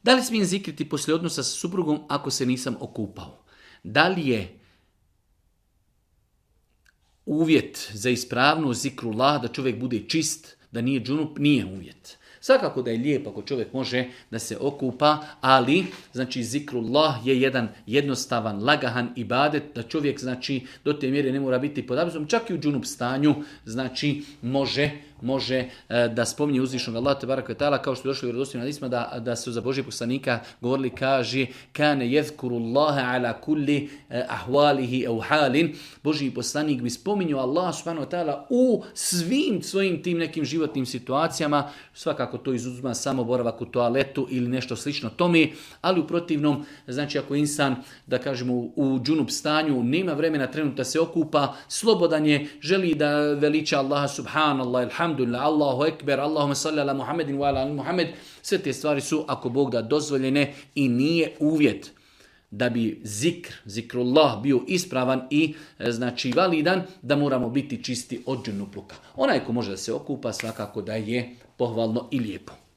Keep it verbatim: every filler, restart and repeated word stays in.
Da li smijem zikriti poslije odnosa sa suprugom ako se nisam okupao? Da li je uvjet za ispravnu zikrullah da čovjek bude čist, da nije džunup? Nije uvjet. Svakako da je lijepo ako čovjek može da se okupa, ali znači zikrullah je jedan jednostavan, lagahan ibadet, da čovjek znači do te mjere ne mora biti pod abdestom, čak i u džunup stanju, znači može može e, da spominje uzvišnog Allaha tebareke ve taala, kao što je došlo u vjerodostojnim hadisima da da su za Božjeg poslanika govorili, kaže kana yezkurullaha ala kulli e, ahwalihi aw halin. Božji poslanik bi spominjao Allah subhanahu wa taala u svim svojim tim nekim životnim situacijama, svakako to izuzima samo boravak u toaletu ili nešto slično tome, ali u protivnom, znači ako insan, da kažemo, u džunup stanju nema vremena trenutno da se okupa, slobodan je, želi da veliča Allaha subhanallah, alhamdulillah, Allahu ekber, Allahumma salli ala Muhammedin wa ala ali Muhammed, sve te stvari su, ako Bog da, dozvoljene i nije uvjet da bi zikr, zikrullah bio ispravan i znači validan, da moramo biti čisti od džunupluka. Onaj ko može da se okupa, svakako da je pohvalno i lijepo.